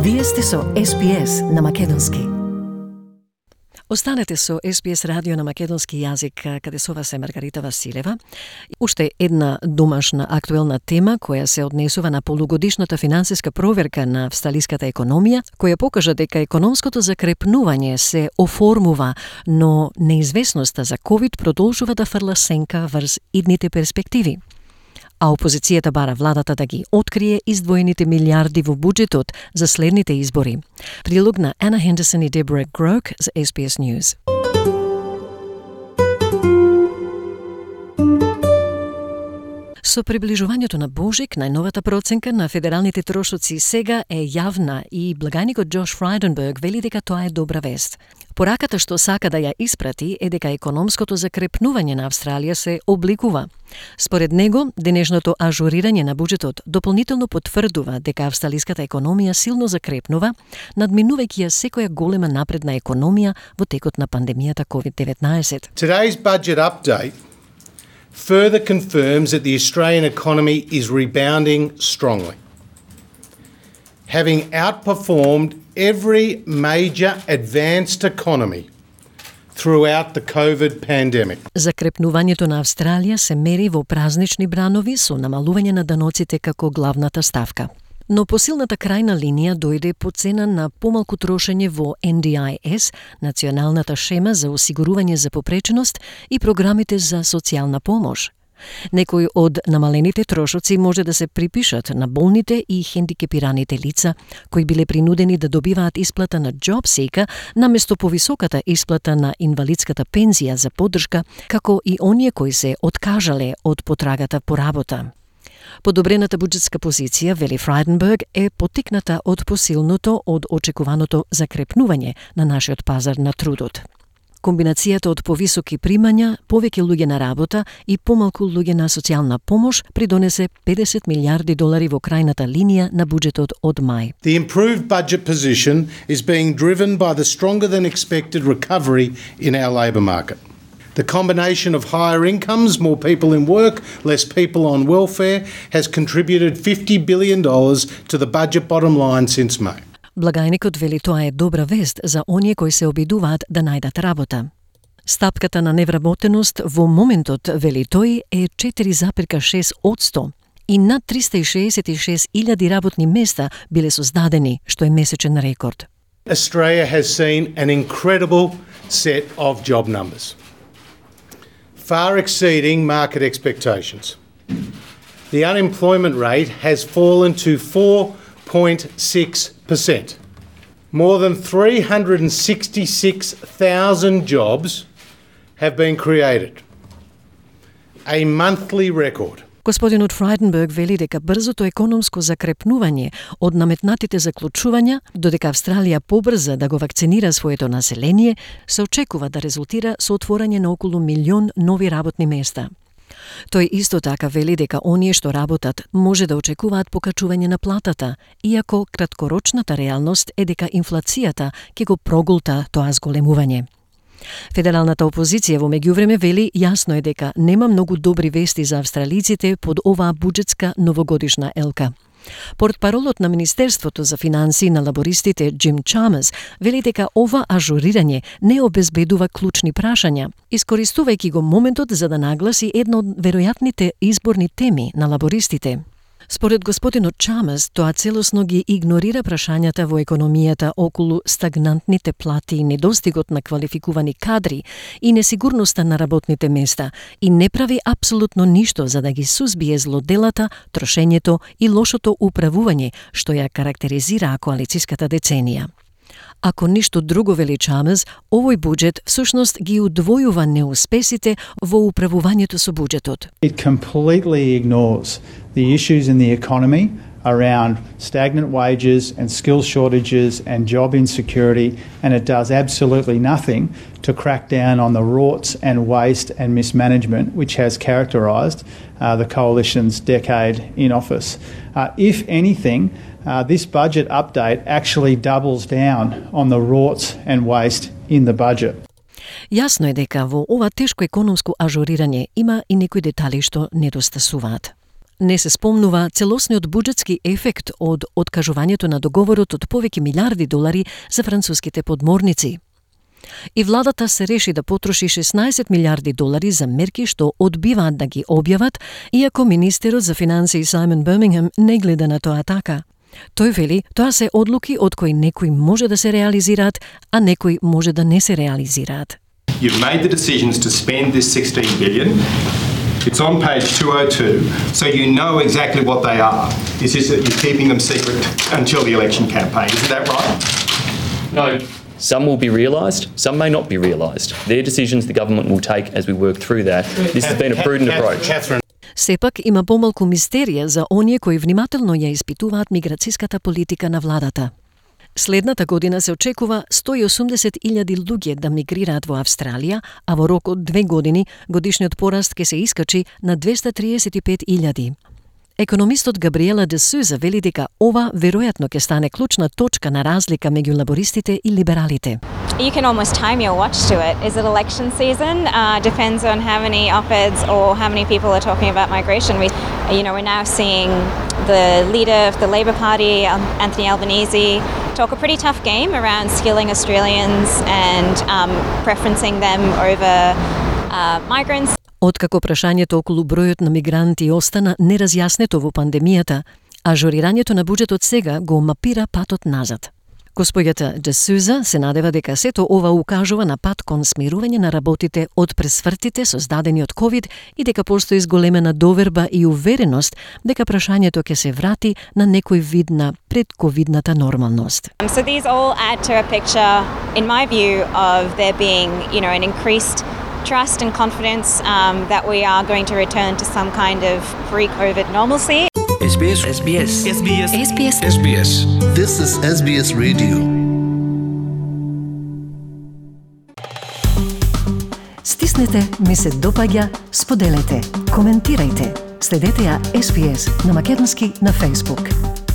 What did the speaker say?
Вие сте со SPS на македонски. Останете со SPS радио на македонски јазик, каде со вас е Маргарита Василева. Уште една домашна актуелна тема која се однесува на полугодишната финансиска проверка на австралиската економија, која покажа дека економското закрепнување се оформува, но неизвестноста за COVID продолжува да фрла сенка врз идните перспективи. А опозицијата бара владата да ги открие издвоените милиарди во буџетот за следните избори. Прилог на Ана Хендерсон и Дебора Грок за SBS News. Со приближувањето на Божик, најновата проценка на федералните трошоци сега е јавна и благајникот Джош Фрайденберг вели дека тоа е добра вест. Пораката што сака да ја испрати е дека економското закрепнување на Австралија се обликува. Според него, денешното ажурирање на буџетот дополнително потврдува дека австралиската економија силно закрепнува, надминувајќи ја секоја голема напредна економија во текот на пандемијата COVID-19. Today's budget update further confirms that the Australian economy is rebounding strongly, having outperformed every major advanced economy throughout the COVID pandemic. Закрепнувањето на Австралија се мери во празнични бранови со намалување на даноците како главната ставка. Но посилната крајна линија дојде по цена на помалку трошење во NDIS, националната шема за осигурување за попреченост и програмите за социјална помош. Некои од намалените трошоци може да се припишат на болните и хендикепираните лица, кои биле принудени да добиваат исплата на JobSeeker наместо повисоката исплата на инвалидската пензија за поддршка, како и оние кои се откажале од потрагата по работа. Подобрената буџетска позиција, вели Фрайденберг, е потикната од посилното од очекуваното закрепнување на нашиот пазар на трудот. Комбинацијата од повисоки примања, повеќе луѓе на работа и помалку луѓе на социјална помош придонесе $50 милиарди во крајната линија на буџетот од мај. The improved budget position is being driven by the stronger than expected recovery in our labour market. The combination of higher incomes, more people in work, less people on welfare has contributed $50 billion to the budget bottom line since May. Благајникот вели тоа е добра вест за оние кои се обидуваат да најдат работа. Стапката на невработеност во моментот, вели тој, е 4,6% и над 366,000 работни места биле создадени, што е месечен рекорд. Australia has seen an incredible set of job numbers, far exceeding market expectations. The unemployment rate has fallen to 4.6%. More than 366,000 jobs have been created, a monthly record. Господинот Фрайденберг вели дека брзото економско закрепнување од наметнатите заклучувања, додека Австралија побрза да го вакцинира своето население, се очекува да резултира со отворање на околу 1 милион нови работни места. Тој исто така вели дека оние што работат може да очекуваат покачување на платата, иако краткорочната реалност е дека инфлацијата ќе го прогулта тоа зголемување. Федералната опозиција во меѓувреме вели јасно е дека нема многу добри вести за австралиците под оваа буџетска новогодишна елка. Портпаролот на Министерството за финансии на лабористите Джим Чамерс вели дека ова ажурирање не обезбедува клучни прашања, искористувајќи го моментот за да нагласи една од веројатните изборни теми на лабористите. Според господинот Чамерс, тоа целосно ги игнорира прашањата во економијата околу стагнантните плати и недостигот на квалификувани кадри и несигурноста на работните места и не прави апсолутно ништо за да ги сузбие злоделата, трошењето и лошото управување што ја карактеризира коалициската деценија. Ако ништо друго, вели Чамерс, овој буџет всушност ги удвојува неуспесите во управувањето со буџетот. It completely ignores the issues in the economy around stagnant wages and skill shortages and job insecurity, and it does absolutely nothing to crack down on the rorts and waste and mismanagement which has characterised the Coalition's decade in office. If anything, this budget update actually doubles down on the rorts and waste in the budget. Јасно е дека во ова тешко економско ажурирање има и некои детали што недостасуваат. Не се спомнува целосниот буџетски ефект од откажувањето на договорот од повеќе милиарди долари за француските подморници. И владата се реши да потроши 16 милиарди долари за мерки што одбиваат да ги објават, иако министерот за финансии Саймон Бирмингем не гледа на тоа така. Тој вели, тоа се одлуки од кои некои може да се реализираат, а некои може да не се реализираат. You've made the decisions to spend this 16 billion. It's on page 202, so you know exactly what they are. It's just that you're keeping them secret until the election campaign. Isn't that right? No. Some will be realised, some may not be realised. They're decisions the government will take as we work through that. This has been a prudent approach. Сепак има помалку мистерија за оние кои внимателно ја испитуваат миграцијската политика на владата. Следната година се очекува 180.000 луѓе да мигрираат во Австралија, а во рок од 2 години годишниот пораст ќе се искачи на 235.000. Економистот Габриела де Суза вели дека ова веројатно ќе стане клучна точка на разлика меѓу лабористите и либералите. You can almost time your watch to it. Is it election season? Depends on how many op-eds or how many people are talking about migration. We're now seeing the leader of the Labor Party, Anthony Albanese, talk a pretty tough game around skilling Australians and preferencing them over migrants. Откако прашањето околу бројот на мигранти остана неразјаснето во пандемијата, ажурирањето на буџетот сега го мапира патот назад. Господјата де Суза се надева дека сето ова укажува на пат кон смирување на работите од пресвртите создадени од COVID и дека постои зголемена доверба и увереност дека прашањето ќе се врати на некој вид на предковидната нормалност. So these all add to a picture, in my view, of there being, an increased trust and confidence that we are going to return to some kind of pre-COVID normalcy. SBS. SBS. SBS. SBS. SBS. This is SBS Radio. Стиснете, ми се допаѓа, споделете, коментирајте. Следете ја SBS на македонски на Facebook.